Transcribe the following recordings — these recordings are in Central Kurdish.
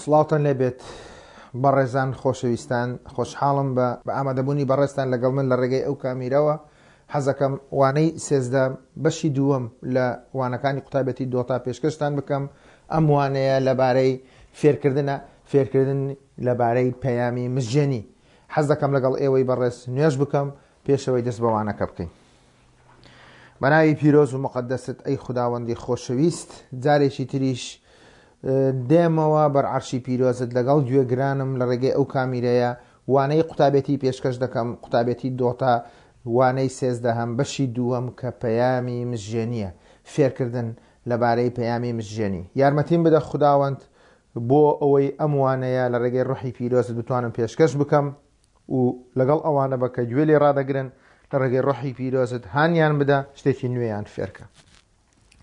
سڵاوتان لێبێت بەڕێزان خۆشەویستان خۆشحاڵم بە بە ئامادەبوونی بەڕێزتان لەگەڵ من لە ڕێگەی ئەو کامیرەوە حەزەکەم وانەی 13 بەشی دووەم لە وانەکانی قوتابێتی دۆتا پێشکەشتان بکەم ئەم وانەیە لەبارەی فێرکردنە فێرکردن لەبارەی پەیامی مزگێنی حەز دەکەم لەگەڵ ئێوەی بەڕێز نوێژ بکەم پێشەوەی دەست بە وانەکە بکەین. بەناوی پیرۆز و مقدست ئەی خوداوەندی خۆشەویست جارێکی تریش دێمەوە بەر عەرشی پیرۆزت لەگەڵ گوێگرانم لە ڕێگەی ئەو کامیرەیە وانەی قوتابێتی پێشکەش دەکەم قوتابێتی دۆتا وانەی سێزدەهەم بەشی دووەم کە پەیامی مزژێنیە فێرکردن لەبارەی پەیامی مزژێنی یارمەتیم بدە خوداوەند بۆ ئەوەی ئەم وانەیە لە ڕێگەی ڕۆحی پیرۆزت بتوانم پێشکەش بکەم و لەگەڵ ئەوانە بە کە گوێ لێ ڕادەگرن لە ڕێگەی ڕۆحی پیرۆزت هانیان بدە شتێکی نوێیان فێرکە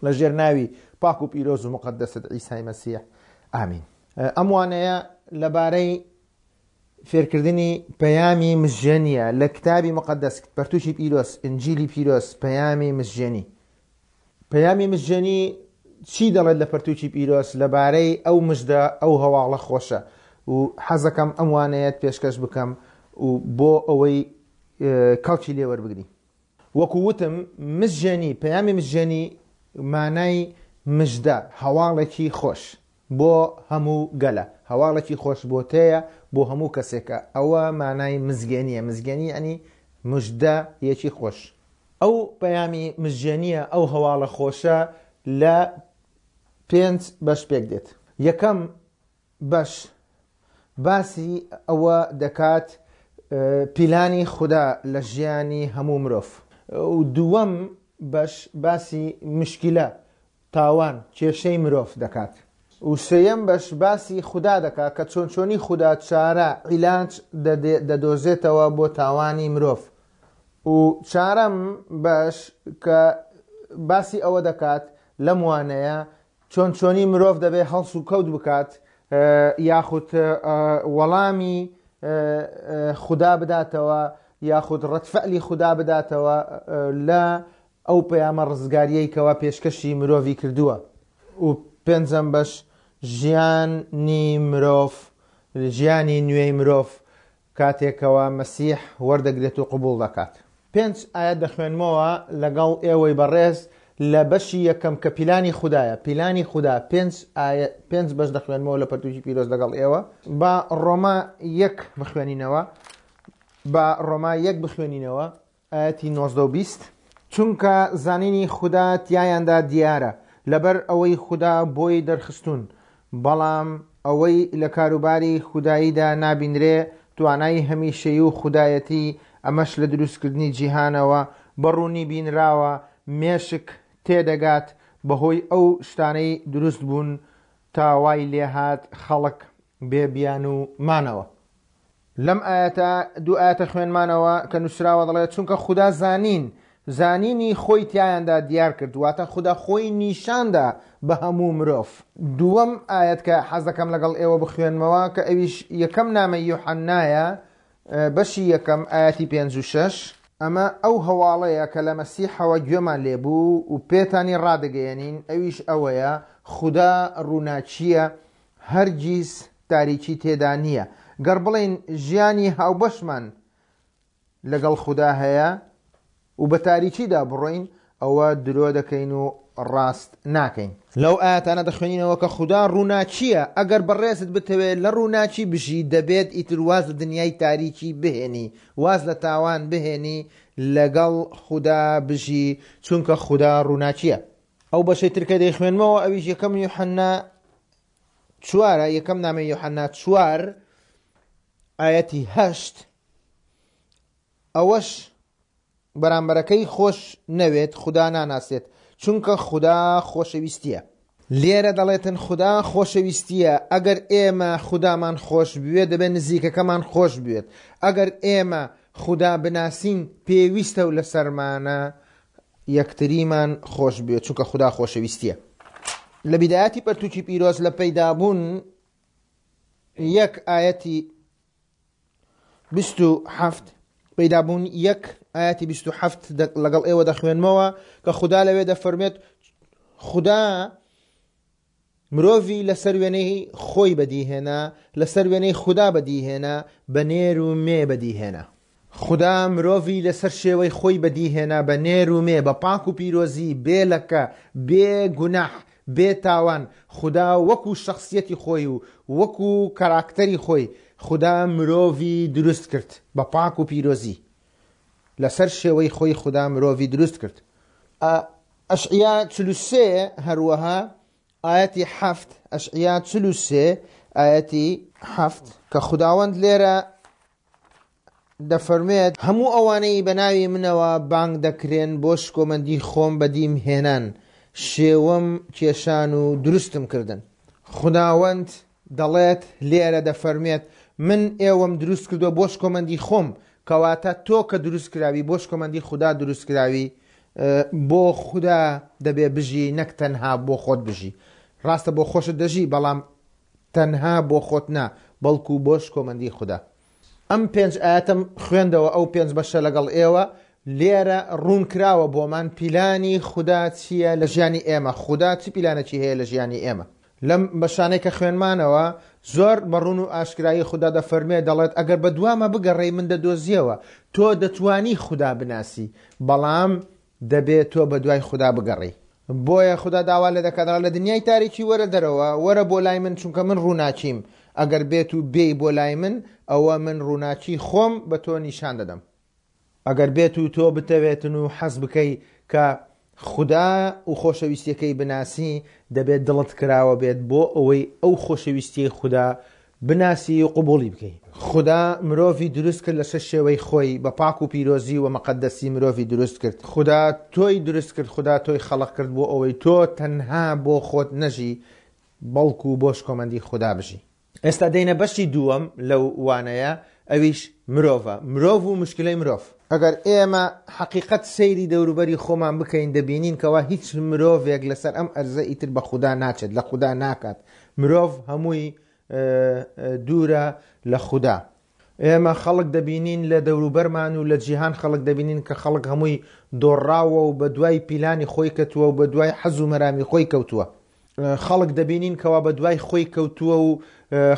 لە ژێر ناوی پاک و پیرۆز و مقدست عیسای مەسیح ئامین ئەم وانەیە لەبارەی فێرکردنی پەیامی مزژێنیە لە کتابی مقدس پەرتوکی پیرۆز ئنجیلی پیرۆز پەیامی مزژێنی پەیامی مزژێنی چی دەڵێت لە پەرتوکی پیرۆز لەبارەی ئەو مژدە ئەو هەواڵە خۆشە و حەزەکەم ئەم وانەیەت پێشکەش بکەم و بۆ ئەوەی کەڵکی لێ وەربگری. وەکو وتم مزژێنی پەیامی مزژێنی مانای مژدە هەواڵێکی خۆش بۆ هەموو گەلە هەواڵێکی خۆش بۆ تێیە بۆ هەموو کەسێکە ئەوە مانای مزگێنیە مزگێنی یعنی مژدە یەکی خۆش. ئەو پەیامی مزگێنییە، ئەو هەواڵە خۆشە لە پێنج بەش پێک دێت. یەکەم بەش باسی ئەوە دەکات پیلانی خودا لە ژیانی هەموو مرۆڤ. و دووەم بەش باسی مشکیلە تاوان، کێشەی مرۆڤ دەکات. و سێیەم بەش باسی خودا دەکات کە چۆن چۆنی خودا چارە، عیلاج، دەدۆزێتەوە بۆ تاوانی مرۆڤ. و چارەم بەش کە باسی ئەوە دەکات لەم وانەیە چۆن چۆنی مرۆڤ دەبێ هەڵس و کەوت بکات یاخود وەڵامی خودا بداتەوە یاخود ڕەتفەلی خودا بداتەوە لە ئەو پەیامە ڕزگاریەی کەوا پێشکەشی مرۆڤی کردووە. و پێنجەم بەش ژیانی مرۆڤ، ژیانی نوێی مرۆڤ کاتێک کەوا مەسیح وەردەگرێت و قبوڵ دەکات. پێنج ئایەت دەخوێنمەوە لەگەڵ ئێوەی بەڕێز لە بەشی یەکەم کە پیلانی خودایە، پیلانی خودا، پێنج ئایە پێنج بەش دەخوێنمەوە لە پەرتوکی پیرۆز لەگەڵ ئێوە. با ڕۆما یەک بخوێنینەوە، با ڕۆما یەک بخوێنینەوە. ئایەتی 19 و 20، چونکە زانینی خودا تیایاندا دیارە، لەبەر ئەوەی خودا بۆی دەرخستوون، بەڵام ئەوەی لە کاروباری خوداییدا نابینرێ، توانای هەمیشەیی و خودایەتی، ئەمەش لە دروستکردنی جیهانەوە بە ڕوونی بینراوە، مێشک تێدەگات بەهۆی ئەو شتانەی دروست بوون تا وای لێهات خەڵک بێ بیانوو مانەوە. لەم ئایەتە دوو ئایەتە خوێنمانەوە کە نووسراوە دەڵێت چونکە خودا زانین زانینی خۆی تیایاندا دیار کرد واتە خودا خۆی نیشاندا بە هەموو مرۆڤ. دووەم ئایەت کە حەز دەکەم لەگەڵ ئێوە بخوێنمەوە کە ئەویش یەکەم نامەی یوحەنایە بەشی یەکەم ئایەتی پێنج و شەش. ئەمە ئەو هەواڵەیە کە لە مەسیحەوە گوێمان لێبوو و پێتانی ڕادەگەیەنین ئەویش ئەوەیە خودا ڕووناکییە هەرگیز تاریکی تێدا نییە. گەر بڵێین ژیانی هاوبەشمان لەگەڵ خودا هەیە و بە تاریکیدا بڕۆین، ئەوە درۆ دەکەین و ڕاست ناکەین. لەو ئایەتانە دەخوێنینەوە کە خودا ڕووناکییە، ئەگەر بەڕێزت بتەوێت لە ڕووناکی بژی، دەبێت ئیتر واز لە دنیای تاریکی بهێنی، واز لە تاوان بهێنی، لەگەڵ خودا بژی، چونکە خودا ڕووناکییە. ئەو بەشەی تر کە دەیخوێنمەوە ئەویش یەکەم یوحەنا چوارە، یەکەم نامەی یوحەنا چوار ئایەتی هەشت، ئەوەش بەرامبەرەکەی خۆش نەوێت خودا ناناسێت، چونکە خودا خۆشەویستیە. لێرە دەڵێتن خودا خۆشەویستیە، ئەگەر ئێمە خودامان خۆش بوێت دەبێت نزیکەکەمان خۆش بوێت، ئەگەر ئێمە خودا بناسین پێویستە و لەسەرمانە یەکتریمان خۆش بوێت چونکە خودا خۆشەویستیە. لە بیدایەتی پەرتوکی پیرۆز لە پەیدابوون یەک ئایەتی 27 پەیدابوون یەک ئایەتی 27 لەگەڵ ئێوە دەخوێنمەوە کە خودا لەوێ دەفەرمێت خودا. مرۆڤی لەسەر وێنەی خۆی بەدیهێنا، لەسەر وێنەی خودا بەدیهێنا، بە نێر و مێ بەدیهێنا. خودا مرۆڤی لەسەر شێوەی خۆی بەدیهێنا بە نێر و مێ، بە پاک و پیرۆزی، بێ لەکە، بێ گوناح، بێ تاوان، خودا وەکو شەخسیەتی خۆی و وەکو کاراکتەری خۆی، خودا مرۆڤی دروست کرد بە پاک و پیرۆزی. لەسەر شێوەی خۆی خودا مرۆڤی دروست کرد. ئەشعیا 43 هەروەها ئایەتی حەفت، ئەشعیا 43 ئایەتی حەفت، کە خوداوەند لێرە دەفەرموێت، هەموو ئەوانەی بە ناوی منەوە بانگ دەکرێن بۆ شکۆمەندی خۆم بەدیم هێنان، شێوەم کێشان و دروستم کردن. خوداوەند دەڵێت، لێرە دەفەرموێت، من ئێوەم دروست کردووە بۆ شکۆمەندی خۆم، کەواتە تۆ کە دروست کراوی بۆ شکۆمەندی خودا دروست کراوی، بۆ خودا دەبێ بژی نەک تەنها بۆ خۆت بژی. ڕاستە بۆ خۆشت دەژی، بەڵام تەنها بۆ خۆت نا، بەڵکو بۆ شکۆمەندی خودا. ئەم پێنج ئایەتەم خوێندەوە ئەو پێنج بەشە لەگەڵ ئێوە، لێرە ڕوون کراوە بۆمان پیلانی خودا چییە لە ژیانی ئێمە، خودا چ پیلانێکی هەیە لە ژیانی ئێمە. لەم بەشانەی کە خوێنمانەوە زۆر بە ڕوون و ئاشکرایی خودا دەفەرموێ دەڵێت ئەگەر بە دوامە بگەڕێی من دەدۆزیەوە، تۆ دەتوانی خودا بناسی بەڵام دەبێ تۆ بە دوای خودا بگەڕێی. بۆیە خودا داوا لێ دەکات دەڵێت لە دنیای تاریکی وەرە دەرەوە، وەرە بۆ لای من چونکە من ڕووناکیم، ئەگەر بێت و بێی بۆ لای من ئەوە من ڕووناکی خۆم بە تۆ نیشان دەدەم. ئەگەر بێت و تۆ بتەوێتن و حەز بکەی کە خودا و خۆشەویستیەکەی بناسی دەبێت دڵت کراوە بێت بۆ ئەوەی ئەو خۆشەویستیەی خودا بناسی و قبوڵی بکەی. خودا مرۆڤی دروست کرد لەسەر شێوەی خۆی بە پاک و پیرۆزی و مەقەدەسی مرۆڤی دروست کرد. خودا تۆی دروست کرد خودا تۆی خەڵق کرد بۆ ئەوەی تۆ تەنها بۆ خۆت نەژی بەڵکو بۆ شکۆمەندی خودا بژی. ئێستا دێینە بەشی دووەم لەو وانەیە ئەویش مرۆڤە، مرۆڤ و مشکلەی مرۆڤ. ئەگەر ئێمە حەقیقەت سەیری دەوروبەری خۆمان بکەین دەبینین کەوا هیچ مرۆڤێک لەسەر ئەم ئەرزە ئیتر بە خودا ناچێت، لە خودا ناکات، مرۆڤ هەمووی دوورە لە خودا. ئێمە خەڵک دەبینین لە دەوروبەرمان و لە جیهان خەڵک دەبینین کە خەڵک هەمووی دۆڕاوە و بە دوای پیلانی خۆی کەتووە و بە دوای حەز و مەرامی خۆی کەوتووە. خەڵک دەبینین کەوا بە دوای خۆی کەوتووە و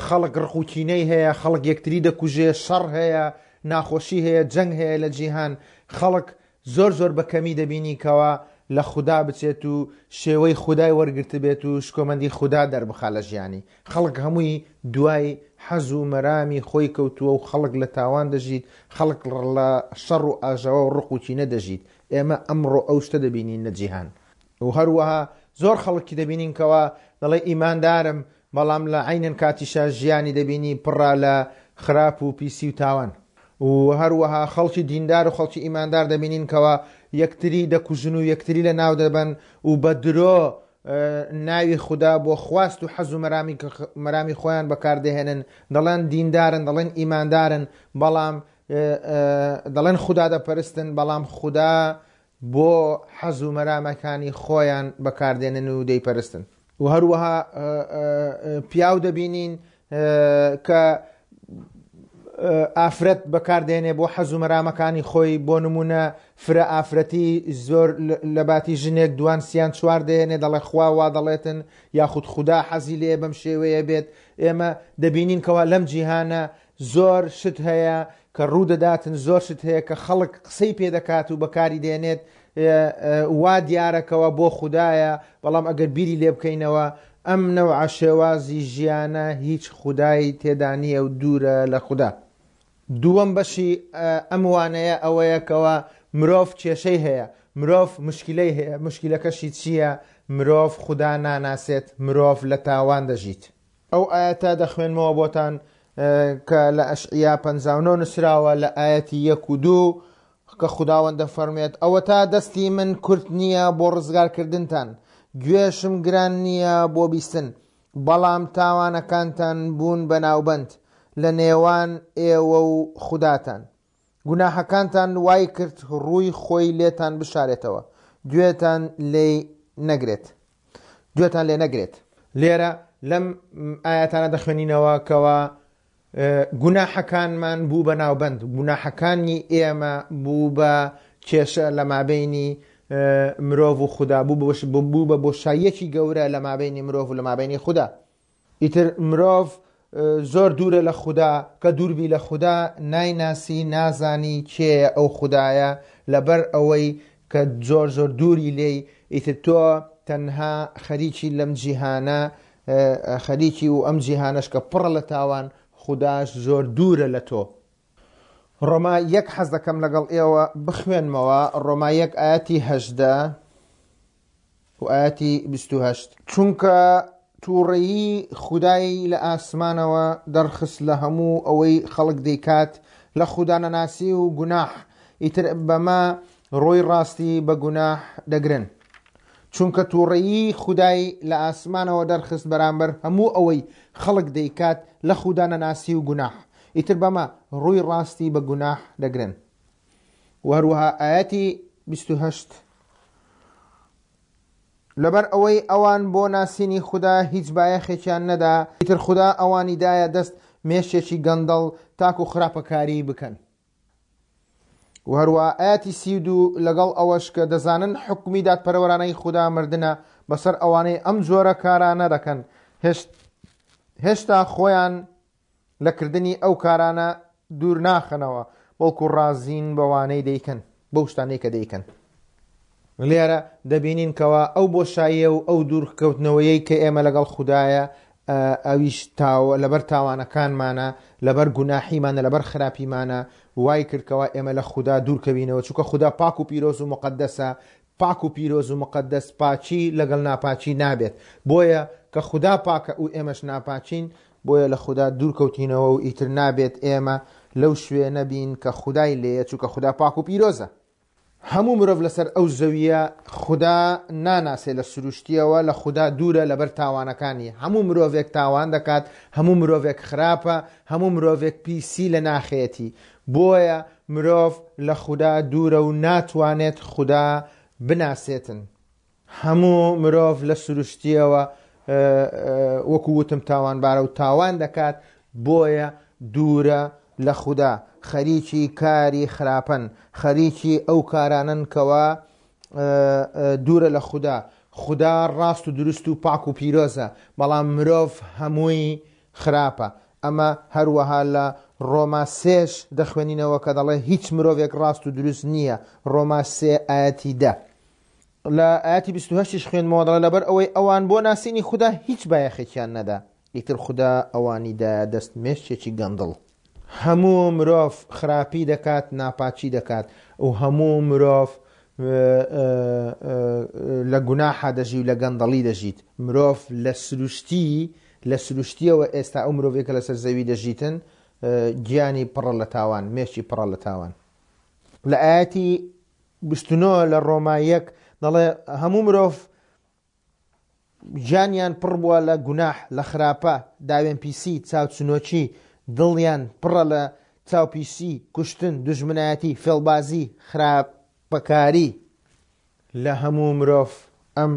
خەڵک ڕق و کینەی هەیە، خەڵک یەکتری دەکوژێ، شەڕ هەیە، ناخۆشی هەیە، جەنگ هەیە لە جیهان. خەڵک زۆر زۆر بە کەمی دەبینی کەوا لە خودا بچێت و شێوەی خودای وەرگرتبێت و شکۆمەندی خودا دەربخا لە ژیانی. خەڵک هەمووی دوای حەز و مەرامی خۆی کەوتووە و خەڵک لە تاوان دەژیت، خەڵک لە شەڕ و ئاژاوە و ڕق و کینە دەژیت. ئێمە ئەمڕۆ ئەو شتە دەبینین لە جیهان. و هەروەها زۆر خەڵکی دەبینین کەوا دەڵێ ئیماندارم بەڵام لە عەینەن کاتیشا ژیانی دەبینی پڕە لە خراپ و پیسی و تاوان. و هەروەها خەڵکی دیندار و خەڵکی ئیماندار دەبینین کەوا یەکتری دەکوژن و یەکتری لە ناو دەبەن و بە درۆ ناوی خودا بۆ خواست و حەز و مەرامی مەرامی خۆیان بەکاردەهێنن، دەڵێن دیندارن، دەڵێن ئیماندارن، بەڵام دەڵێن خودا دەپەرستن، بەڵام خودا بۆ حەز و مەرامەکانی خۆیان بەکاردێنن و دەیپەرستن. و هەروەها پیاو دەبینین کە ئافرەت بەکاردێنێ بۆ حەز و مەرامەکانی خۆی، بۆ نمونە فرە ئافرەتی زۆر لە باتی ژنێک دوان سیان چوار دەهێنێ، دەڵێ خوا وا دەڵێتن یاخود خودا حەزی لێ بەم شێوەیە بێت. ئێمە دەبینین کەوا لەم جیهانە زۆر شت هەیە کە ڕوودەداتن، زۆر شت هەیە کە خەڵک قسەی پێ دەکات و بەکاری دێنێت، وا دیارە کەوا بۆ خودایە، بەڵام ئەگەر بیری لێ بکەینەوە ئەم نەوعە شێوازی ژیانە هیچ خودای تێدا نییە و دوورە لە خودا. دووەم بەشی ئەم وانەیە ئەوەیە کەوا مرۆڤ کێشەی هەیە، مرۆڤ مشکیلەی هەیە، مشکیلەکەشی چییە؟ مرۆڤ خودا ناناسێت، مرۆڤ لە تاوان دەژیت. ئەو ئایەتە دەخوێنمەوە بۆتان کە لە ئەشعیا 59 نووسراوە لە ئایەتی یەک و دوو کە خوداوەند دەفەرموێت ئەوەتا دەستی من کورت نییە بۆ ڕزگارکردنتان، گوێشم گران نییە بۆ بیستن، بەڵام تاوانەکانتان بوون بە ناوبەند لە نێوان ئێوە و خوداتان. گوناحەکانتان وای کرد ڕووی خۆی لێتان بشارێتەوە، گوێتان لێی نەگرێت. گوێتان لێ نەگرێت. لێرە لەم ئایەتانە دەخوێنینەوە کەوا گوناحەکانمان بوو بە ناوبەند، گوناحەکانی ئێمە بوو بە کێشە لە مابینی مرۆڤ و خودا، بوو بە بۆشاییەکی گەورە لە مابەینی مرۆڤ و لە مابەینی خودا. ئیتر مرۆڤ زۆر دوورە لە خودا، کە دووربی لە خودا نایناسی، نازانی کێیە ئەو خودایە، لەبەر ئەوەی کە زۆر زۆر دووری لێی، ئیتر تۆ تەنها خەریکی لەم جیهانە خەریکی و ئەم جیهانەش کە پڕە لە تاوان، خوداش زۆر دوورە لە تۆ. ڕۆما یەک حەز دەکەم لەگەڵ ئێوە بخوێنمەوە، ڕۆما یەک ئایەتی 18 و ئایەتی 28. چونکە تووڕەیی خودای لە ئاسمانەوە دەرخست لە هەموو ئەوەی خەڵک دەیکات لە خودانەناسی و گوناح، ئیتر بەمە ڕووی ڕاستی بە گوناح دەگرن. چونکە تووڕەیی خودای لە ئاسمانەوە دەرخست بەرامبەر هەموو ئەوەی خەڵک دەیکات لە خودانەناسی و گوناح، ئیتر بەمە ڕووی ڕاستی بە گوناح دەگرن. وە هەروەها ئایەتی 28، لەبەر ئەوەی ئەوان بۆ ناسینی خودا هیچ بایەخێکیان نەدا، ئیتر خودا ئەوانی دایە دەست مێشکێکی گەندەڵ تاکو خراپەکاری بکەن. و هەروەها ئایەتی 32، لەگەڵ ئەوەش کە دەزانن حوکمی دادپەروەرانەی خودا مردنە بەسەر ئەوانەی ئەم جۆرە کارانە دەکەن، هێشتا خۆیان لە کردنی ئەو کارانە دوور ناخەنەوە، بەڵکو ڕازین بەوانەی دەیکەن، بەو شتانەی کە دەیکەن. لێرە دەبینین کەوا ئەو بۆشاییە و ئەو دوورکەوتنەوەیەی کە ئێمە لەگەڵ خودایە، ئەویش لەبەر تاوانەکانمانە، لەبەر گوناحیمانە، لەبەر خراپیمانە، وای کرد کەوا ئێمە لە خودا دوورکەوینەوە، چونکە خودا پاک و پیرۆز و موقەدەسە، پاک و پیرۆز و موقەدەس پاکی لەگەڵ ناپاکی نابێت، بۆیە کە خودا پاکە و ئێمەش ناپاکین، بۆیە لە خودا دوورکەوتینەوە و ئیتر نابێت ئێمە لەو شوێنە بین کە خودای لێیە، چونکە خودا پاک و پیرۆزە. هەموو مرۆڤ لەسەر ئەو زەوییە خودا ناناسێ لە سروشتییەوە لە خودا دوورە لەبەر تاوانەکانی، هەموو مرۆڤێک تاوان دەکات، هەموو مرۆڤێک خراپە، هەموو مرۆڤێک پیسی لە ناخێتی، بۆیە مرۆڤ لە خودا دوورە و ناتوانێت خودا بناسێتن. هەموو مرۆڤ لە سروشتیەوە وەکو وتم تاوانبارە و تاوان دەکات، بۆیە دوورە لە خودا، خەریکی کاری خراپەن، خەریکی ئەو کارانەن کەوا دوورە لە خودا. خودا ڕاست و دروست و پاک و پیرۆزە، بەڵام مرۆڤ هەمووی خراپە. ئەمە هەروەها لە ڕۆما سێش دەخوێنینەوە کە دەڵێ هیچ مرۆڤێک ڕاست و دروست نییە، ڕۆما سێ ئایەتی 10. لە ئایەتی 28 یش خوێندمەوە دەڵێ لەبەر ئەوەی ئەوان بۆ ناسینی خودا هیچ بایەخێکیان نەدا، ئیتر خودا ئەوانی دایە دەست مێشکێکی گەندڵ. هەموو مرۆڤ خراپی دەکات، ناپاکی دەکات و هەموو مرۆڤ لە گوناحا دەژی و لە گەندەڵی دەژیت. مرۆڤ لە سروشتی لە سروشتیەوە ئێستا ئەو مرۆڤێک کە لەسەر زەوی دەژیتن گیانی پڕە لە تاوان، مێشکی پڕە لە تاوان. لە ئایەتی 29 لە ڕۆما یەک دەڵێ هەموو مرۆڤ گیانیان پڕ بووە لە گوناح، لە خراپە، داوێنپیسی، چاوچنۆکی، دڵیان پڕە لە چاوپیسی، کوشتن، دوژمنایەتی، فێڵبازی، خراپەکاری. لە هەموو مرۆڤ ئەم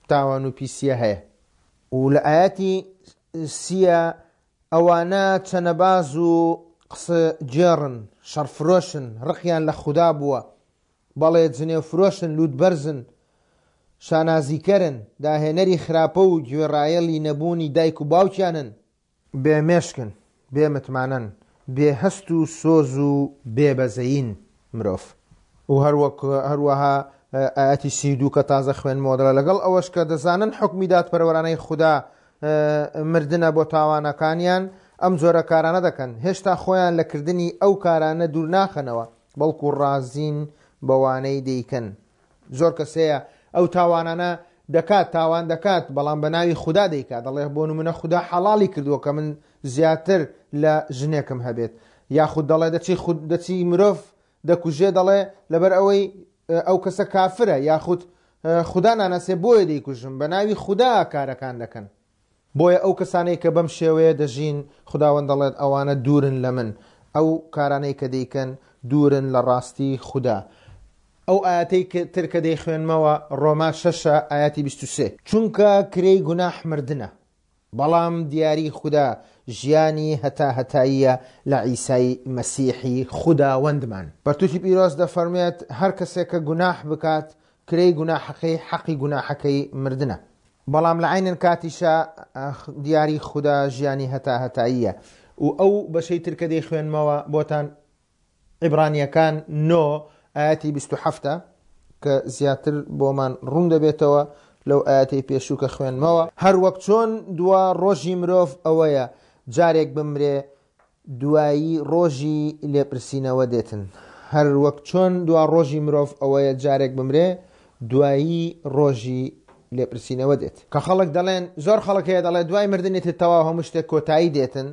تاوان و پیسییە هەیە. و لە ئایەتی سییە ئەوانە چەنەباز و قسەگێڕن، شەڕفرۆشن، ڕقیان لە خودا بووە، بەڵێ جنێوفرۆشن، لووتبەرزن، شانازیکەرن، داهێنەری خراپە و گوێڕایەڵی نەبوونی دایک و باوکیانن، بێ مێشکن، بێ متمانەن، بێ هەست و سۆز و بێ بەزەیین مرۆڤ. و هەروەک هەروەها ئایەتی 32 کە تازە خوێندمەوە دەڵێ لەگەڵ ئەوەش کە دەزانن حوکمی دادپەروەرانەی خودا مردنە بۆ تاوانەکانیان ئەم جۆرە کارانە دەکەن، هێشتا خۆیان لە کردنی ئەو کارانە دوور ناخەنەوە، بەڵکو ڕازین بەوانەی دەیکەن. زۆر کەس هەیە ئەو تاوانانە دەکات، تاوان دەکات، بەڵام بە ناوی خودا دەیکات، دەڵێ بۆ نمونە خودا حەڵاڵی کردووە کە من زیاتر لە ژنێکم هەبێت، یاخود دەڵێ دەچی خود دەچی مرۆڤ دەکوژێ دەڵێ لەبەر ئەوەی ئەو کەسە کافرە یاخود خودا ناناسێ بۆیە دەیکوژم، بە ناوی خودا کارەکان دەکەن. بۆیە ئەو کەسانەی کە بەم شێوەیە دەژین، خوداوەند دەڵێت ئەوانە دوورن لە من، ئەو کارانەی کە دەیکەن دوورن لە ڕاستی خودا. ئەو ئایەتەی تر کە دەیخوێنمەوە ڕۆما شەشە ئایەتی 23. چونکە کرێی گوناح مردنە، بەڵام دیاری خودا ژیانی هەتاهەتاییە لە عیسای مەسیحی خوداوەندمان. پەرتوکی پیرۆز دەفەرموێت هەر کەسێک کە گوناح بکات. کرێی گوناحەکەی حەقی گوناحەکەی مردنە. بەڵام لە عەینەن کاتیشا دیاری خودا ژیانی هەتا هەتاییە. و ئەو بەشەی تر کە دەیخوێنمەوە بۆتان عیبرانیەکان نۆ ئایەتی 27 ە کە زیاتر بۆمان ڕوون دەبێتەوە لەو ئایەتەی پێشوو کە خوێنمەوە. هەر وەک چۆن دوا ڕۆژی مرۆڤ ئەوەیە جارێک بمرێ دوایی ڕۆژی لێپرسینەوە دێتن. هەر وەک چۆن دوا ڕۆژی مرۆڤ ئەوەیە جارێک بمرێ دوایی ڕۆژی لێپرسینەوە دێت. کە خەڵک دەڵێن، زۆر خەڵک هەیە دەڵێت دوای مردن ئیتر تەواو هەموو شتێک کۆتایی دێتن،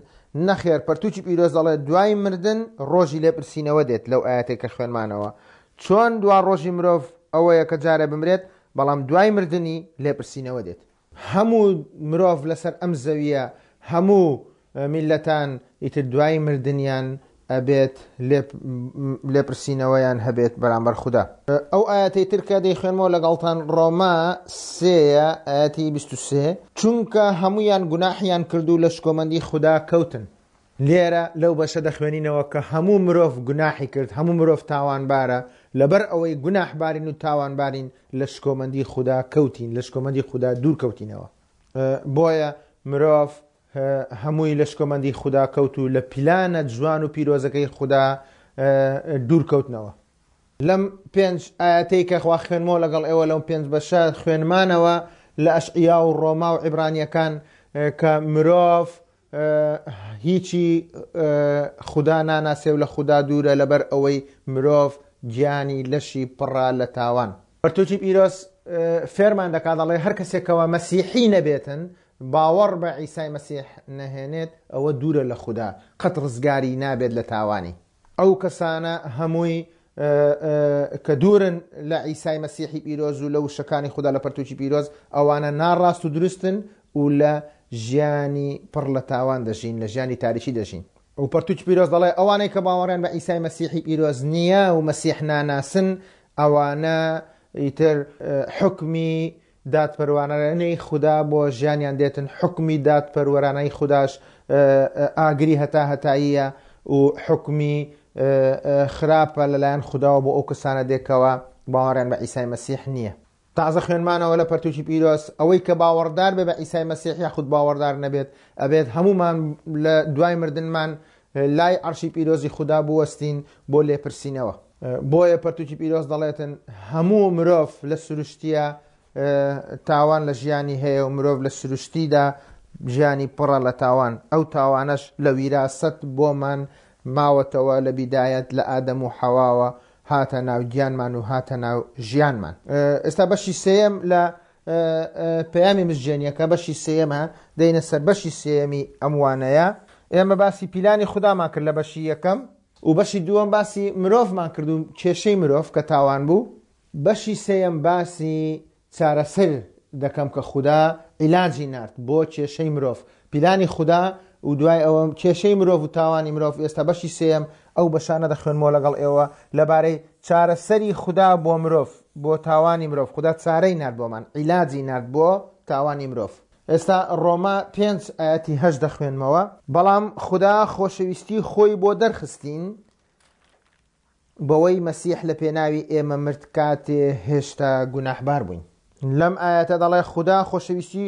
نەخێر پەرتوکی پیرۆز دەڵێت دوای مردن ڕۆژی لێپرسینەوە دێت لەو ئایەتەی کە خوێنمانەوە چۆن دوا ڕۆژی مرۆڤ ئەوەیە کە جارێ بمرێت بەڵام دوای مردنی لێپرسینەوە دێت. هەموو مرۆڤ لەسەر ئەم زەویە هەموو میللەتان ئیتر دوای مردنیان ئەبێت لێپرسینەوەیان هەبێت بەرامبەر خودا. ئەو ئایەتەی تر کە دەیخوێنمەوە لەگەڵتان ڕۆما سێیە ئایەتی 23، چونکە هەموویان گوناحیان کرد و لە شکۆمەندی خودا کەوتن. لێرە لەو بەشە دەخوێنینەوە کە هەموو مرۆڤ گوناحی کرد، هەموو مرۆڤ تاوانبارە، لەبەر ئەوەی گوناحبارین و تاوانبارین لە شکۆمەندی خودا کەوتین، لە شکۆمەندی خودا دوور کەوتینەوە. بۆیە مرۆڤ هەمووی لە شکۆمەندی خودا کەوت و لە پیلانە جوان و پیرۆزەکەی خودا دوور کەوتنەوە. لەم پێنج ئایەتەی کە خوا خوێنمەوە لەگەڵ ئێوە لەم پێنج بەشە خوێنمانەوە لە ئەشعیا و ڕۆما و عیبرانیەکان کە مرۆڤ هیچی خودا ناناسێ و لە خودا دوورە لەبەر ئەوەی مرۆڤ گیانی لەشی پڕە لە تاوان. پەرتوکی پیرۆز فێرمان دەکات دەڵێ هەر کەسێکەوە مەسیحی نەبێتن باوەڕ بە عیسای مەسیح نەهێنێت ئەوە دوورە لە خودا قەت ڕزگاری نابێت لە تاوانی. ئەو کەسانە هەمووی کە دوورن لە عیسای مەسیحی پیرۆز و لە وشەکانی خودا لە پەرتوکی پیرۆز ئەوانە ناڕاست و دروستن و لە ژیانی پڕ لە تاوان دەژین لە ژیانی تاریکی دەژین. و پەرتوکی پیرۆز دەڵێ ئەوانەی کە باوەڕیان بە عیسای مەسیحی پیرۆز نییە و مەسیح ناناسن ئەوانە ئیتر حوکمی دادپەروانەی خودا بۆ ژیانیان دێتن، حوکمی دادپەروەرانەی خوداش ئاگری هەتا هەتاییە و حوکمی خراپە لەلایەن خوداوە بۆ ئەو کەسانە دێت کەوا باوەڕیان بە عیسای مەسیح نییە. تازە خوێنمانەوە لە پەرتوکی پیرۆز ئەوەی کە باوەڕدار بێ بە عیسای مەسیح یاخود باوەڕدار نەبێت ئەبێت هەموومان لە دوای مردنمان لای عەرشی پیرۆزی خودا بوەستین بۆ لێپرسینەوە. بۆیە پەرتوکی پیرۆز دەڵێتن هەموو مرۆڤ لە سروشتیە تاوان لە ژیانی هەیە و مرۆڤ لە سروشتیدا ژیانی پڕە لە تاوان ئەو تاوانەش لە ویراسەت بۆمان ماوەتەوە لە بیدایەت لە ئادەم و حەواوە هاتە ناو گیانمان و هاتە ناو ژیانمان. ئێستا بەشی سێیەم لە پەیامی مزگێنیەکە بەشی سێیەمە دێینە سەر بەشی سێیەمی ئەم وانەیە. ئێمە باسی پیلانی خودامان کرد لە بەشی یەکەم و بەشی دووەم باسی مرۆڤمان کرد و کێشەی مرۆڤ کە تاوان بوو. بەشی سێیەم باسی چارەسەر دەکەم کە خودا عیلاجی نارد بۆ کێشەی مرۆڤ، پیلانی خودا و دوای ئەوە کێشەی مرۆڤ و تاوانی مرۆڤ، ئێستا بەشی سێیەم ئەو بەشانە دەخوێنمەوە لەگەڵ ئێوە لەبارەی چارەسەری خودا بۆ مرۆڤ، بۆ تاوانی مرۆڤ، خودا چارەی نارد بۆمان، عیلاجی نارد بۆ تاوانی مرۆڤ. ئێستا ڕۆما پێنج ئایەتی هەشت دەخوێنمەوە. بەڵام خودا خۆشەویستی خۆی بۆ دەرخستین، بەوەی مەسیح لە پێناوی ئێمە مرد کاتێ هێشتا گوناحبار بووین. لەم ئایەتە دەڵێ خودا خۆشەویستی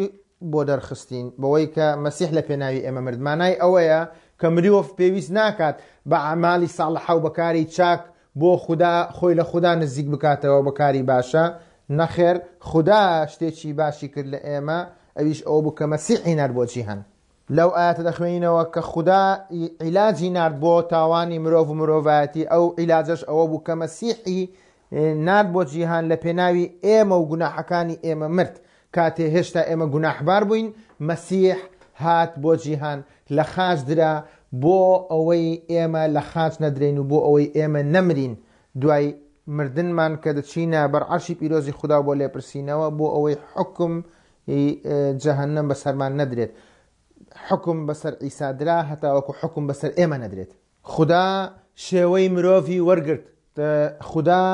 بۆ دەرخستین بەوەی کە مەسیح لە پێناوی ئێمە مرد. مانای ئەوەیە کە مرۆڤ پێویست ناکات بە ئەعمالی ساڵحە و بە کاری چاک بۆ خودا خۆی لە خودا نزیک بکاتەوە بە کاری باشە، نەخێر خودا شتێکی باشی کرد لە ئێمە ئەویش ئەوە بوو کە مەسیحی نارد بۆ جیهان. لەو ئایەتە دەخوێنینەوە کە خودا عیلاجی نارد بۆ تاوانی مرۆڤ و مرۆڤایەتی، ئەو عیلاجەش ئەوە بوو کە مەسیحی نارد بۆ جیهان لە پێناوی ئێمە و گوناحەکانی ئێمە مرد. کاتێ هێشتا ئێمە گوناحبار بووین، مەسیح هات بۆ جیهان، لە خاچ درا بۆ ئەوەی ئێمە لە خاچ نەدرێین و بۆ ئەوەی ئێمە نەمرین دوای مردنمان کە دەچینە بەر عەرشی پیرۆزی خودا بۆ لێپرسینەوە، بۆ ئەوەی حوکم ی جەهەنەم بەسەرمان نەدرێت. حوکم بەسەر عیسا درا هەتاوەکو حوکم بەسەر ئێمە نەدرێت. خودا شێوەی مرۆڤی وەرگرت. خودا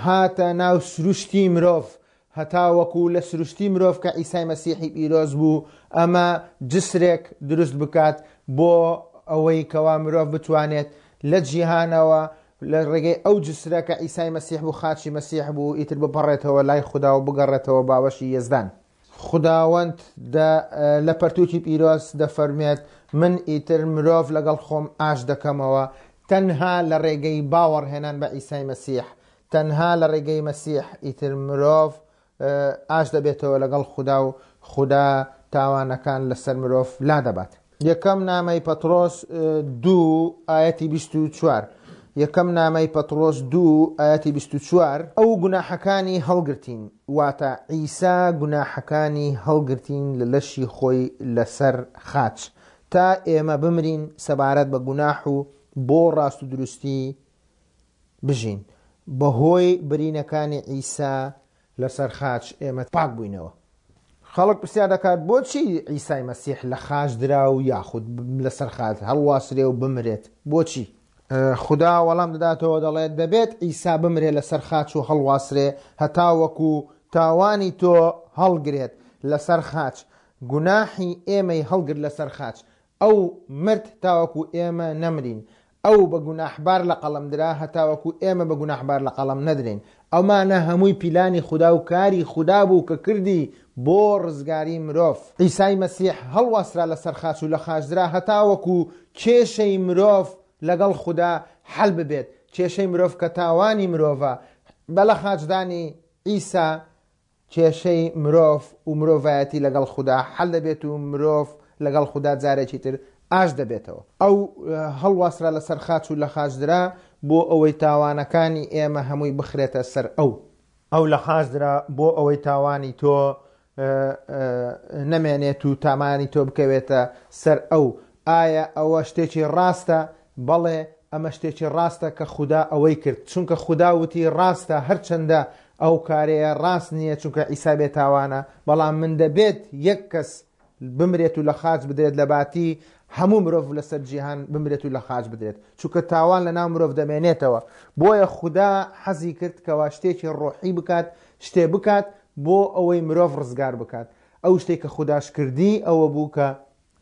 هاتە ناو سروشتی مرۆڤ هەتاوەکو لە سروشتی مرۆڤ کە عیسای مەسیحی پیرۆز بوو ئەمە جسرێک دروست بکات بۆ ئەوەی کەوا مرۆڤ بتوانێت لە جیهانەوە لە ڕێگەی ئەو جسرە کە عیسای مەسیح بوو، خاچی مەسیح بوو، ئیتر بپەڕێتەوە لای خودا و بگەڕێتەوە باوەشی یەزدان. خوداوەند دە لە پەرتووکی پیرۆز دەفەرموێت، من ئیتر مرۆڤ لەگەڵ خۆم ئاشت دەکەمەوە، تەنها لە ڕێگەی باوەڕهێنان بە عیسای مەسیح، تەنها لە ڕێگەی مەسیح ئیتر مرۆڤ ئاشت دەبێتەوە لەگەڵ خودا و خودا تاوانەکان لەسەر مرۆڤ لادەبات. یەکەم نامەی پەتڕۆس دوو ئایەتی 24 یەکەم نامەی پەتڕۆس دوو ئایەتی 24 ئەو گوناحەکانی هەڵگرتین، واتە عیسا گوناحەکانی هەڵگرتین لە لەشی خۆی لەسەر خاچ، تا ئێمە بمرین سەبارەت بە گوناح و بۆ ڕاست و دروستی بژین. بەهۆی برینەکانی عیسا لەسەر خاچ ئێمە پاک بووینەوە. خەڵک پرسیار دەکات بۆچی عیسای مەسیح لە خاچ درا و یاخود لەسەر خاچ هەڵواسرێ و بمرێت؟ بۆچی؟ خودا وەڵام دەداتەوە دەڵێت دەبێت عیسا بمرێ لەسەر خاچ و هەڵواسرێ هەتاوەکو تاوانی تۆ هەڵگرێت لەسەر خاچ. گوناحی ئێمەی هەڵگرت لەسەر خاچ. ئەو مرد تاوەکو ئێمە نەمرین. ئەو بە گوناحبار لە قەڵەم درا هەتاوەکو ئێمە بە گوناحبار لە قەڵەم نەدرێین. ئەمانە هەمووی پیلانی خودا و کاری خودا بوو کە کردی بۆ ڕزگاری مرۆڤ. عیسای مەسیح هەڵواسرا لەسەر خاچ و لە خاچ درا هەتاوەکو کێشەی مرۆڤ لەگەڵ خودا حەل ببێت. کێشەی مرۆڤ کە تاوانی مرۆڤە بە لەخاچدانی عیسا کێشەی مرۆڤ و مرۆڤایەتی لەگەڵ خودا حەل دەبێت و مرۆڤ لەگەڵ خودا جارێکی تر ئاشت دەبێتەوە. ئەو هەڵواسرا لەسەر خاچ و لەخاچدرا بۆ ئەوەی تاوانەکانی ئێمە هەمووی بخرێتە سەر ئەو. ئەو لەخاچدرا بۆ ئەوەی تاوانی تۆ نەمێنێت و تامانی تۆ بکەوێتە سەر ئەو. ئایا ئەوە شتێکی ڕاستە؟ بەڵێ، ئەمە شتێکی ڕاستە کە خودا ئەوەی کرد، چونکە خودا وتی ڕاستە، هەرچەندە ئەو کارەیە ڕاست نییە چونکە عیسا بێتاوانە، بەڵام من دەبێت یەک کەس بمرێت و لە خاچ بدرێت لەباتی هەموو مرۆڤ لەسەر جیهان بمرێت و لە خاچ بدرێت، چونکە تاوان لەناو مرۆڤ دەمێنێتەوە. بۆیە خودا حەزی کرد کەوا شتێکی ڕۆحی بکات، شتێ بکات بۆ ئەوەی مرۆڤ ڕزگار بکات. ئەو شتەی کە خوداش کردی ئەوە بوو کە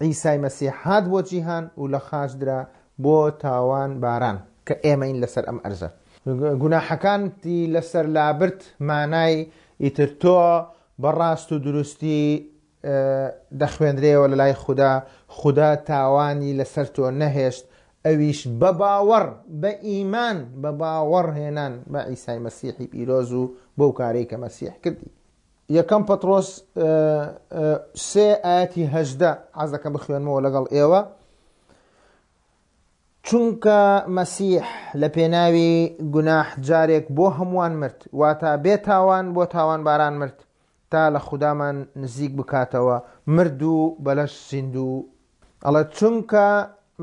عیسای مەسیح هات بۆ جیهان و لە خاچ درا بۆ تاوان باران کە ئێمەین لەسەر ئەم ئەرزە. گوناحەکانتی لەسەر لابرد مانای ئیتر تۆ بە ڕاست و دروستی دەخوێنرێەوە لەلای خودا، خودا تاوانی لەسەر تۆ نەهێشت ئەویش بە باوەڕ، بە ئیمان، بە باوەڕ هێنان بە عیسای مەسیحی پیرۆز و بەو کارەی کە مەسیح کردی. یەکەم پەتڕۆس سێ ئاەتی 18 حەز دەکەم بخوێنمەوە لەگەڵ ئێوە. چونکە مەسیح لە پێناوی گوناح جارێک بۆ هەمووان مرد، واتە بێ تاوان بۆ تاوانباران مرد، تا لە خودامان نزیک بکاتەوە، مرد و بەلەش زیندوو. ئەڵێ چونکە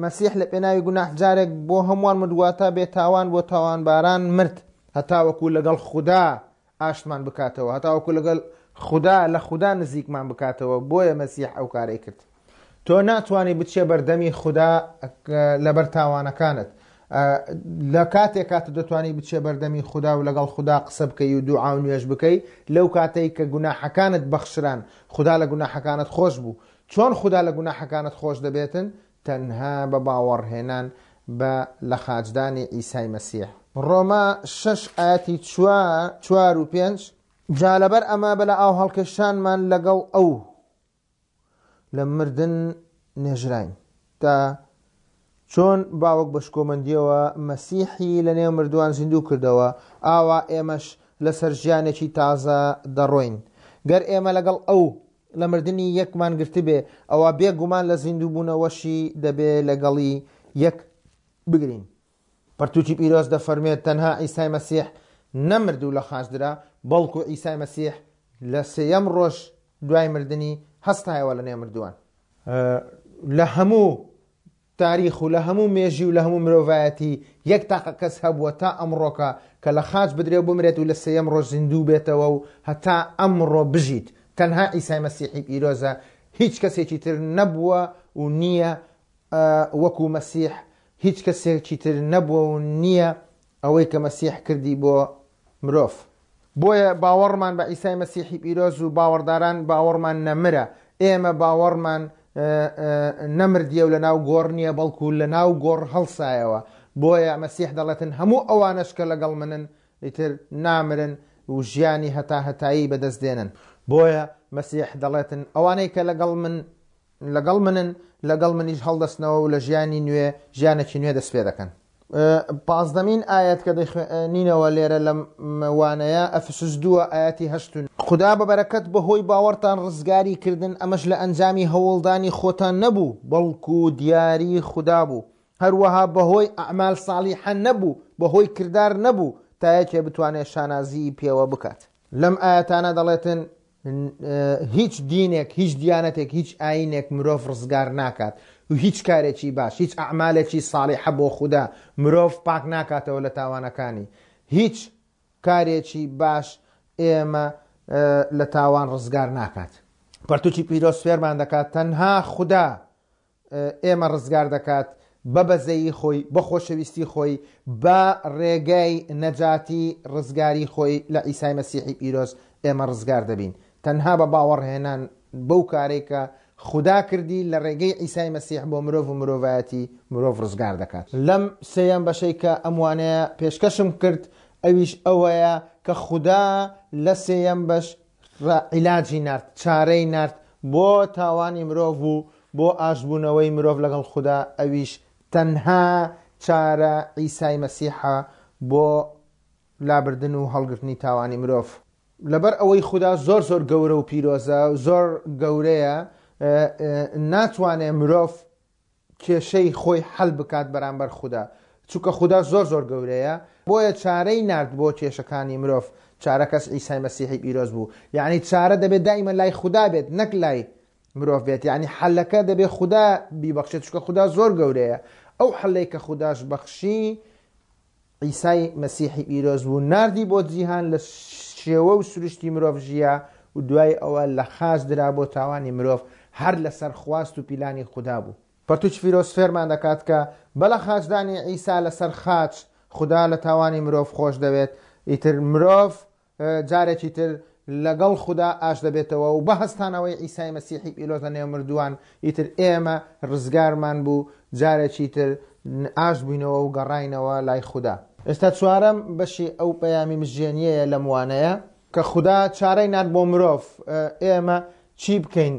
مەسیح لە پێناوی گوناح جارێک بۆ هەمووان مرد، واتە بێ تاوان بۆ تاوانباران مرد، هەتاوەکو لەگەڵ خودا ئاشتمان بکاتەوە، هەتاوەکو لەگەڵ خودا لە خودا نزیکمان بکاتەوە، بۆیە مەسیح ئەو کارەی کرد. تۆ ناتوانی بچیە بەردەمی خودا لەبەر تاوانەکانت. لە کاتێک کات دەتوانی بچیە بەردەمی خودا و لەگەڵ خودا قسە بکەی و دوعا و نوێژ بکەی، لەو کاتەی کە گوناحەکانت بەخشران، خودا لە گوناحەکانت خۆش بوو. چۆن خودا لە گوناحەکانت خۆش دەبێتن؟ تەنها بە باوەڕهێنان بە لەخاچدانی عیسای مەسیح. ڕۆما شەش ئایەتی چوار و پێنج، جا لەبەر ئەمە بە لەئاوهەڵکێشانمان لەگەڵ ئەو لە مردن نێژراین، تا چۆن باوک بە شکۆمەندییەوە مەسیحی لەنێو مردووان زیندوو کردەوە، ئاوا ئێمەش لەسەر ژیانێکی تازە دەڕۆین. گەر ئێمە لەگەڵ ئەو لە مردنی یەکمان گرتبێ، ئەوا بێ گومان لە زیندووبوونەوەشی دەبێ لەگەڵی یەک بگرین. پەرتووکی پیرۆز دەفەرموێت تەنها عیسای مەسیح نەمرد و لە خاچ درا، بەڵکو عیسای مەسیح لە سێیەم ڕۆژ دوای مردنی هەستایەوە لە نێو مردووان. لە هەموو تاریخ و لە هەموو مێژی و لە هەموو مرۆڤایەتی یەک تاقە کەس هەبووە تا ئەمڕۆکە کە لە خاچ بدرێ و بمرێت و لە سێیەم ڕۆژ زیندوو بێتەوە و هەتا ئەمڕۆ بژیت، تەنها عیسای مەسیحی پیرۆزە، هیچ کەسێکی تر نەبووە و نییە وەکو مەسیح، هیچ کەسێکی تر نەبووە و نییە ئەوەی کە مەسیح کردی بۆ مرۆڤ. بۆیە باوەڕمان بە عیسای مەسیحی پیرۆز و باوەڕداران باوەڕمان نەمرە. ئێمە باوەڕمان نەمردیە و لەناو گۆڕ نییە، بەڵکو لەناو گۆڕ هەڵسایەوە. بۆیە مەسیح دەڵێتن هەموو ئەوانەش کە لەگەڵ منن ئیتر نامرن و ژیانی هەتاهەتایی بەدەست دێنن. بۆیە مەسیح دەڵێتن ئەوانەی کە لەگەڵ من لەگەڵ منن لەگەڵ منیش هەڵدەستنەوە و لە ژیانی نوێ ژیانێکی نوێ دەست پێ دەکەن. پازدەمین ئایەت کە دەیخوێنینەوە لێرە لەم وانەیە ئەفسوس دووە ئایەتی هەشت و خودا بە بەرەکەت بەهۆی باوەڕتان ڕزگاری کردن ئەمەش لە ئەنجامی هەوڵدانی خۆتان نەبوو بەڵکو دیاری خودا بوو هەروەها بەهۆی ئەعمال ساڵیحە نەبوو بەهۆی کردار نەبوو تا یەکێ بتوانێت شانازیی پێوە بکات. لەم ئایەتانە دەڵێتن هیچ دینێک هیچ دیانەتێک هیچ ئاینێک مرۆڤ ڕزگار ناکات و هیچ کارێکی باش هیچ ئەعمالێکی ساڵیحە بۆ خودا مرۆڤ پاک ناکاتەوە لە تاوانەکانی هیچ کارێکی باش ئێمە لە تاوان ڕزگار ناکات پەرتوکی پیرۆز فێرمان دەکات تەنها خودا ئێمە ڕزگار دەکات بە بەزەیی خۆی، بە خۆشەویستی خۆی، بە ڕێگای نەجاتی ڕزگاری خۆی لە عیسای مەسیحی پیرۆز ئێمە ڕزگار دەبین. تەنها بە باوەڕهێنان بەو کارەی کە خودا کردی لە ڕێگەی عیسای مەسیح بۆ مرۆڤ و مرۆڤایەتی مرۆڤ ڕزگار دەکات. لەم سێیەم بەشەی کە ئەم وانەیە پێشکەشم کرد ئەویش ئەوەیە کە خودا لە سێیەم بەش عیلاجی نارد، چارەی نارد بۆ تاوانی مرۆڤ و بۆ ئاشتبوونەوەی مرۆڤ لەگەڵ خودا، ئەویش تەنها چارە عیسای مەسیحە بۆ لابردن و هەڵگرتنی تاوانی مرۆڤ. لەبەر ئەوەی خودا زۆر زۆر گەورە و پیرۆزە، زۆر گەورەیە، ناتوانێ مرۆڤ کێشەی خۆی حەل بکات بەرامبەر خودا چونکە خودا زۆر زۆر گەورەیە بۆیە چارەی نارد بۆ کێشەکانی مرۆڤ چارەکەس عیسای مەسیحی پیرۆز بوو یعنی چارە دەبێت دایمە لای خودا بێت نەک لای مرۆڤ بێت یعنی حەلەکە دەبێت خودا بیبەخشێت چونکە خودا زۆر گەورەیە ئەو حەلەی کە خوداش بەخشی عیسای مەسیحی پیرۆز بوو ناردی بۆ جیهان لە شێوە و سروشتی مرۆڤ ژیا و دوای ئەوە لە خاچ درا بۆ تاوانی مرۆڤ هەر لەسەر خواست و پیلانی خودا بوو. پەرتوکی پیرۆز فێرمان دەکات کە بە لە خاچدانی عیسا لەسەر خاچ خودا لە تاوانی مرۆڤ خۆش دەوێت ئیتر مرۆڤ جارێکی تر لەگەڵ خودا ئاشت دەبێتەوە و بە هەستانەوەی عیسای مەسیحی پیرۆز لە نێو مردووان ئیتر ئێمە ڕزگارمان بوو جارێکی تر ئاشت بووینەوە و گەڕاینەوە لای خودا. ئێستا چوارەم بەشی ئەو پەیامی مزگێنییەیە لەم وانەیە کە خودا چارەی نارد بۆ مرۆڤ ئێمە چی بکەین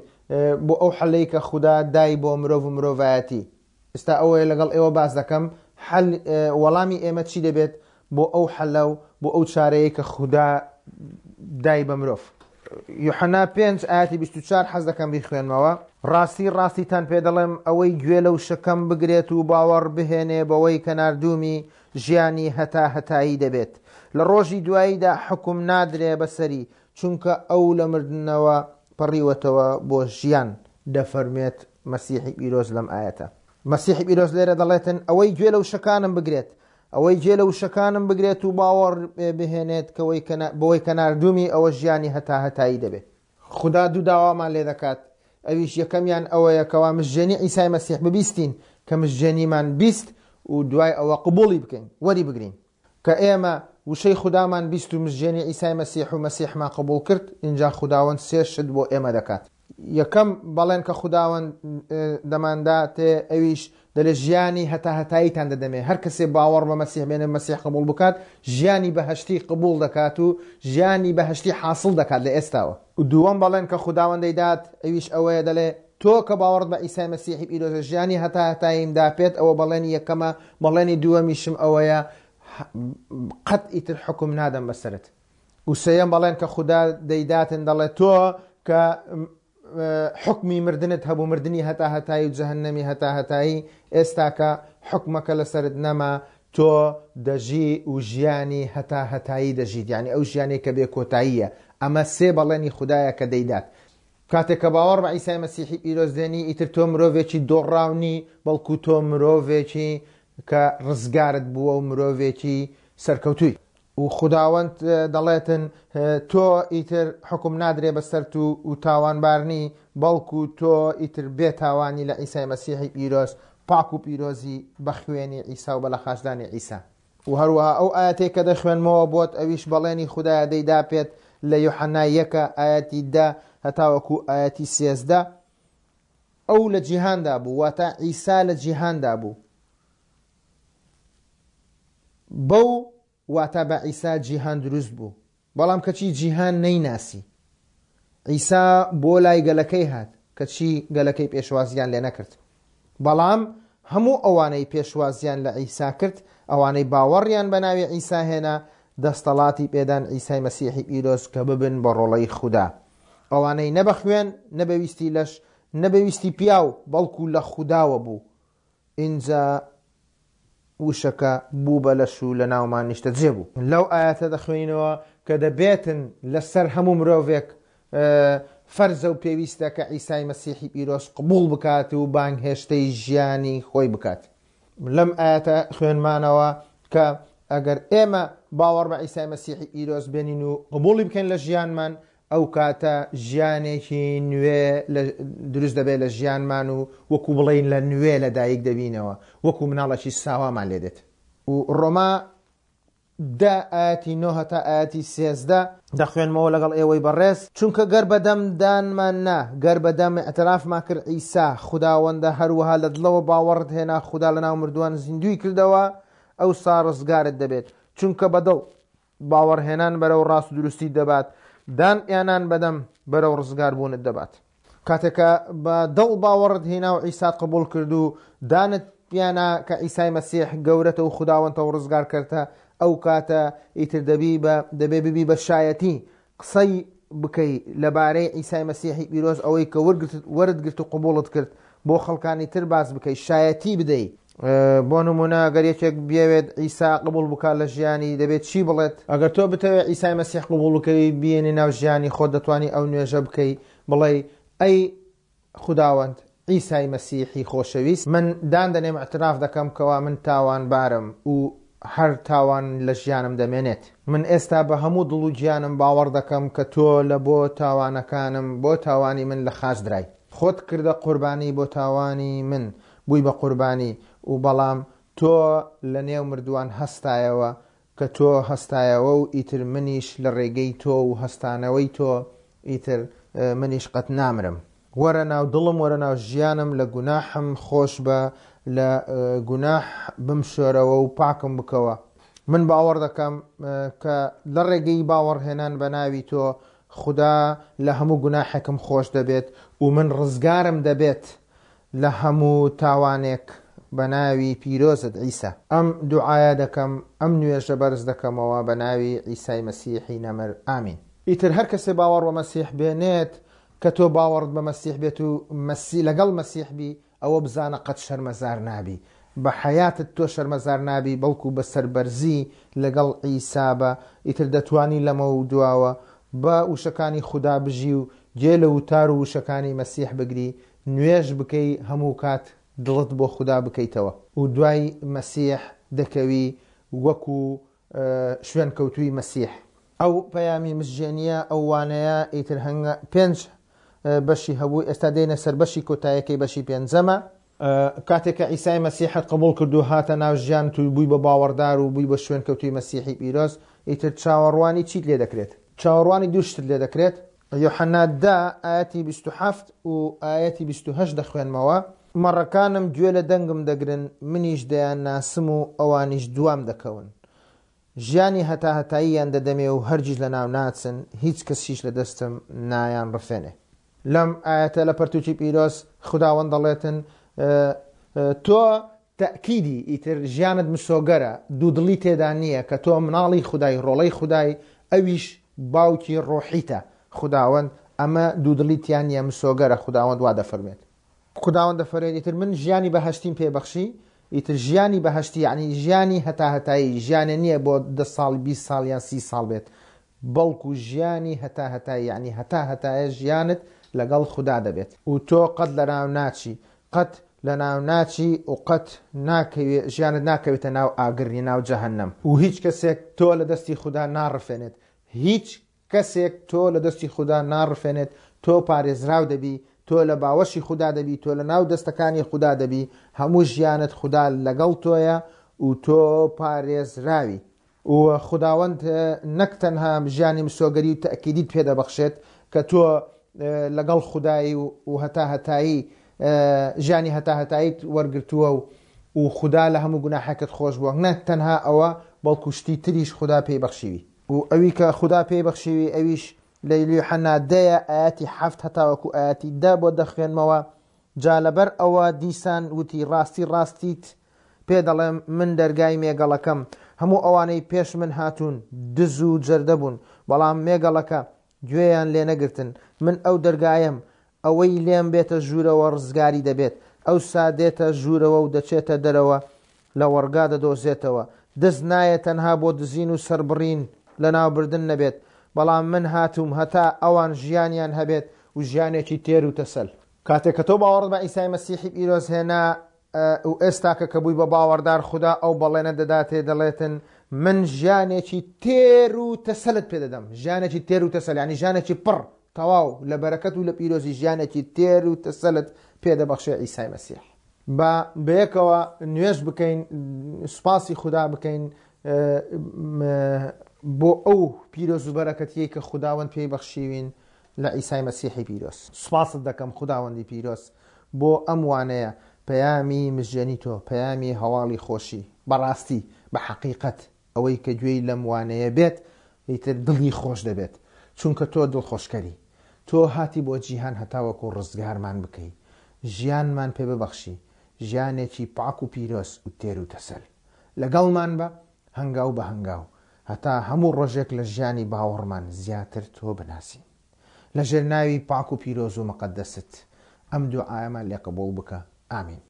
بۆ ئەو حەلەی کە خودا دای بۆ مرۆڤ و مرۆڤایەتی. ئێستا ئەوەیە لەگەڵ ئێوە باس دەکەم حەل وەڵامی ئێمە چی دەبێت بۆ ئەو حەلە و بۆ ئەو چارەیە کە خودا دای بە مرۆڤ. یوحەنا 5 ئاەتی 24 حەز دەکەم بیخوێنمەوە. ڕاستی ڕاستیتان پێ دەڵێم ئەوەی گوێ لە وشەکەم بگرێت و باوەڕ بهێنێ بەوەی کە ناردوومی ژیانی هەتا هەتایی دەبێت. لە ڕۆژی دواییدا حوکم نادرێ بەسەری چونکە ئەو لە مردنەوە پەڕیوەتەوە بۆ ژیان. دەفەرموێت مەسیحی پیرۆز لەم ئایەتە. مەسیحی پیرۆز لێرە دەڵێتن ئەوەی گوێ لە وشەکانم بگرێت، ئەوەی گوێ لە وشەکانم بگرێت و باوەڕ بهێنێت کەوەی بەوەی کە ناردوومی ئەوە ژیانی هەتاهەتایی دەبێت. خودا دوو داوامان لێ دەکات، ئەویش یەکەمیان ئەوەیە کەوا مژێنی عیسای مەسیح ببیستین، کە مژێنیمان بیست و دوای ئەوە قبوڵی بکەین، وەری بگرین. کە ئێمە وشەی خودامان بیست و مزگێنی عیسای مەسیح و مەسیحمان قبوڵ کرد، ئینجا خوداوەند سێ شت بۆ ئێمە دەکات. یەکەم بەڵێن کە خوداوەند دەمانداتێ ئەویش دەلێ ژیانی هەتاهەتاییتان دەدەمێ. هەر کەسێ باوەڕ بە مەسیح بێنێ مەسیح قبوڵ بکات، ژیانی بەهەشتی قبوڵ دەکات و ژیانی بەهەشتی حاسڵ دەکات لە ئێستاوە. دووەم بەڵێن کە خوداوەند دەیدات ئەویش ئەوەیە دەلێ تۆ کە باوەڕت بە عیسای مەسیحی پیرۆزە ژیانی هەتاهەتاییم دا پێت ئەوە بەڵێنی یەکەمە بەڵێنی دووەمیشم ئەوەیە قەت ئیتر حوکم نادەم بەسەرت و سێیەم بەڵێن کە خودا دەیداتن دەڵێ تۆ کە حکمی مردنت هەبوو مردنی هەتا هەتایی و جەهەنەمی هەتا هەتایی ئێستاکە حکمەکە لەسەرت نەما تۆ دەژی و ژیانی هەتا هەتایی دەژیت یعنی ئەو ژیانێک کە بێ کۆتاییە ئەمە سێ بەڵێنی خودایە کە دەیدات کاتێک کە باوەڕ بە عیسای مەسیحی پیرۆز دێنی ئیتر تۆ مرۆڤێکی دۆڕاو نی بەڵکو تۆ مرۆڤێکی کە ڕزگارت بووە و مرۆڤێکی سەرکەوتووی. و خوداوەند دەڵێتن تۆ ئیتر حوکم نادرێ بەسەرت و و تاوانبار نی بەڵکو تۆ ئیتر بێ تاوانی لە عیسای مەسیحی پیرۆز پاک و پیرۆزی بە خوێنی عیسا و بە لەخاچدانی عیسا. و هەروەها ئەو ئایەتەی کە دەخوێنمەوە بۆت ئەویش بەڵێنی خودایە دەیدا پێت لە یۆحەنا یەکە ئایەتی دە هەتاوەکو ئایەتی 13 ئەو لە جیهاندا بوو واتە عیسا لە جیهاندا بوو. بەو واتە بە عیسا جیهان دروست بوو، بەڵام کەچی جیهان نەیناسی. عیسا بۆ لای گەلەکەی هات، کەچی گەلەکەی پێشوازییان لێ نەکرد. بەڵام هەموو ئەوانەی پێشوازییان لە عیسا کرد، ئەوانەی باوەڕیان بە ناوی عیسا هێنا، دەستەڵاتی پێدان عیسای مەسیحی پیرۆز کە ببن بە ڕۆڵەی خودا. ئەوانەی نە بە خوێن، نە بە ویستی لەش، نە بە ویستی پیاو، بەڵکو لە خوداوە بوو. ئینجا وشەکە بوو بە لەش و لە ناومان نیشتەجێ بوو. لەو ئایەتە دەخوێنینەوە کە دەبێتن لەسەر هەموو مرۆڤێک فەرزە و پێویستە کە عیسای مەسیحی پیرۆز قبوڵ بکات و بانگهێشتەی ژیانی خۆی بکات. لەم ئایەتە خوێنمانەوە کە ئەگەر ئێمە باوەڕ بە عیسای مەسیحی پیرۆز بێنین و قبوڵی بکەین لە ژیانمان، ئەو کاتە ژیانێکی نوێ دروست دەبێت لە ژیانمان و وەکو بڵێین لە نوێ لە دایک دەبینەوە، وەکو مناڵێکی ساوامان لێ دێت. و ڕۆما دە ئایەتی نۆ هەتا ئایەتی 13 دەخوێنمەوە لەگەڵ ئێوەی بەڕێز، چونکە گەر بە دەم دانمان نا، گەر بە دەم ئیعترافمان کرد عیسا خوداوەندە، هەروەها لە دڵەوە باوەڕت هێنا خودا لەناو مردووان زیندووی کردەوە، ئەوسا ڕزگارت دەبێت. چونکە بە دڵ باوەڕهێنان بەرەو ڕاست و دروستیت دەبات، دان یانان بەدەم بەرەو ڕزگاربوونت دەبات. کاتێک کە بە دڵ باوەڕت هێنا و عیسات قبوڵ کرد و دانت پیانا کە عیسای مەسیح گەورەتە و خوداوەندتە و ڕزگارکەرتە، ئەو کاتە ئیتر دەبی بە دەبێ ببی بە شایەتی، قسەی بکەی لەبارەی عیسای مەسیحی پیرۆز ئەوەی کە وەرگرتت وەرت گرت و قبوڵت کرد بۆ خەڵکانی تر باس بکەی شایەتی بدەی. بۆ نمونە گەر یەکێک بیەوێت عیسا قبوڵ بکات لە ژیانی دەبێت چی بڵێت؟ ئەگەر تۆ بتەوێت عیسای مەسیح قبوڵ بکەی بیێنی ناو ژیانی خۆت دەتوانی ئەو نوێژە بکەی بڵێی ئەی خوداوەند عیسای مەسیحی خۆشەویست من دان دەنێم اعتراف دەکەم کەوا من تاوانبارم و هەر تاوان لە ژیانم دەمێنێت. من ئێستا بە هەموو دڵ و گیانم باوەڕ دەکەم کە تۆ لە بۆ تاوانەکانم بۆ تاوانی من لە خاچ درای. خۆت کردە قوربانی بۆ تاوانی من بووی بە قوربانی و بەڵام تۆ لە نێو مردووان هەستایەوە کە تۆ هەستایەوە و ئیتر منیش لە ڕێگەی تۆ و هەستانەوەی تۆ ئیتر منیش قەت نامرم. وەرە ناو دڵم وەرە ناو ژیانم لە گوناحم خۆش بە لە گوناح بمشۆرەوە و پاکم بکەوە. من باوەڕ دەکەم کە لە ڕێگەی باوەڕهێنان بە ناوی تۆ خودا لە هەموو گوناحێکم خۆش دەبێت و من ڕزگارم دەبێت لە هەموو تاوانێک بە ناوی پیرۆزت عیسا. ئەم دوعایە دەکەم، ئەم نوێژە بەرز دەکەمەوە بە ناوی عیسای مەسیحی نەمر، ئامین. ئیتر هەر کەسێ باوەڕ بە مەسیح بێنێت، کە تۆ باوەڕت بە مەسیح بێت و مەسی لەگەڵ مەسیح بی، ئەوە بزانە قەت شەرمەزار نابی. بە حەیاتت تۆ شەرمەزار نابی، بەڵکو بە سەربەرزی لەگەڵ عیسا بە، ئیتر دەتوانی لەمەو دواوە بە وشەکانی خودا بژی و گوێ لە وتار و وشەکانی مەسیح بگری، نوێژ بکەی هەموو کات دڵت بۆ خودا بکەیتەوە و دوای مەسیح دەکەوی وەکو شوێنکەوتووی مەسیح. ئەو پەیامی مزژێنیە ئەو وانەیە ئیتر هەنگا پێنج بەشی هەبوو ئێستا دێینە سەر بەشی کۆتایەکەی بەشی پێنجەمە. کاتێک کە عیسای مەسیحت قبوڵ کرد و هاتە ناو ژیانت و بووی بە باوەڕدار و بووی بە شوێنکەوتووی مەسیحی پیرۆز ئیتر چاوەڕوانی چیت لێ دەکرێت؟ چاوەڕوانی دوو شتت لێ دەکرێت. یۆحەنا دە ئایەتی 27 و ئایەتی 28 دەخوێنمەوە، مەڕەکانم گوێ لە دەنگم دەگرن، منیش دەیانناسم و ئەوانیش دوام دەکەون. ژیانی هەتاهەتاییان دەدەمێ و هەرگیز لەناو ناچن، هیچ کەسیش لە دەستم نایانڕفێنێ. لەم ئایەتە لە پەرتووکی پیرۆز خوداوەند دەڵێتن، تۆ تەئکیدی ئیتر ژیانت مسۆگەرە، دوودڵی تێدا نییە کە تۆ مناڵی خودای، ڕۆڵەی خودای، ئەویش باوکی ڕۆحیتە، خوداوەند، ئەمە دوودڵی تیا نییە، مسۆگەرە، خوداوەند وا دەفەرموێت. خوداوەند دەفەرموێت، ئیتر من ژیانی بەهەشتیم پێ بەخشی، ئیتر ژیانی بەهەشتی یەعنی ژیانی هەتاهەتایی، ژیانێ نییە بۆ دە ساڵ، 20 ساڵ یان 30 ساڵ بێت، بەڵکو ژیانی هەتاهەتایی یەعنی هەتاهەتایە ژیانت لەگەڵ خودا دەبێت. و تۆ قەت لەناو ناچی، قەت لەناو ناچی و قەت ناکەوێ ژیانت ناکەوێتە ناو ئاگر یە ناو جەهەنەم. و هیچ کەسێک تۆ لە دەستی خودا ناڕفێنێت، هیچ کەسێک تۆ لە دەستی خودا ناڕفێنێت، تۆ پارێزراو دەبی، تۆ لە باوەشی خودا دەبی، تۆ لە ناو دەستەکانی خودا دەبی، هەموو ژیانت خودا لەگەڵ تۆیە و تۆ پارێزراوی. و خوداوەند نەک تەنها ژیانی مسۆگەری و تەئکیدیت پێ دەبەخشێت کە تۆ لەگەڵ خودایی و هەتا هەتایی ژیانی هەتا هەتاییت وەرگرتووە و و خودا لە هەموو گوناحێکت خۆش بووە، نەک تەنها ئەوە بەڵکو شتی تریش خودا پێی بەخشیوی. و ئەوی کە خودا پێی بەخشیوی ئەویش لە یوحەنا دەیە ئایەتی حەفت هەتاوەکو ئایەتی دە بۆ دەخوێنمەوە، جا لەبەر ئەوە دیسان وتی ڕاستی ڕاستیت پێ دەڵێم من دەرگای مێگەڵەکەم، هەموو ئەوانەی پێش من هاتوون دز و جەردە بوون، بەڵام مێگەڵەکە گوێیان لێ نەگرتن، من ئەو دەرگایەم، ئەوەی لێم بێتە ژوورەوە ڕزگاری دەبێت، ئەوسا دێتە ژوورەوە و دەچێتە دەرەوە لەوەڕگا دەدۆزێتەوە. دز نایەت تەنها بۆ دزین و سەربڕین لەناوبردن نەبێت، بەڵام من هاتووم هەتا ئەوان ژیانیان هەبێت و ژیانێکی تێر و تەسەل. کاتێک کە تۆ باوەڕت بە عیسای مەسیحی پیرۆز هێنا و ئێستاکە کە بووی بە باوەڕدار خودا ئەو بەڵێنە دەداتێ دەڵێتن من ژیانێکی تێر و تەسەلت پێ دەدەم ژیانێکی تێر و تەسەل یعنی ژیانێکی پڕ تەواو لە بەرەکەت و لە پیرۆزی ژیانێکی تێر و تەسەلت پێ دەبەخشێ عیسای مەسیح. با بەیەکەوە نوێژ بکەین سوپاسی خودا بکەین بۆ ئەو پیرۆز و بەرەکەتیەی کە خوداوەند پێی بەخشیوین لە عیسای مەسیحی پیرۆز. سوپاست دەکەم خوداوەندی پیرۆز بۆ ئەم وانەیە، پەیامی مژێنی تۆ، پەیامی هەواڵی خۆشی، بەڕاستی، بە حەقیقەت، ئەوەی کە گوێی لەم وانەیە بێت ئیتر دڵی خۆش دەبێت، چونکە تۆ دڵخۆشکەری. تۆ هاتی بۆ جیهان هەتاوەکو ڕزگارمان بکەی، ژیانمان پێ ببەخشی، ژیانێکی پاک و پیرۆز و تێر و تەسەل. لەگەڵمان بە هەنگاو بە هەنگاو، هەتا هەموو ڕۆژێک لە ژیانی باوەڕمان زیاتر تۆ بناسین. لە ژێر ناوی پاک و پیرۆز و مقەدەست ئەم دوعایەمان لێ قبوڵ بکە. ئامین.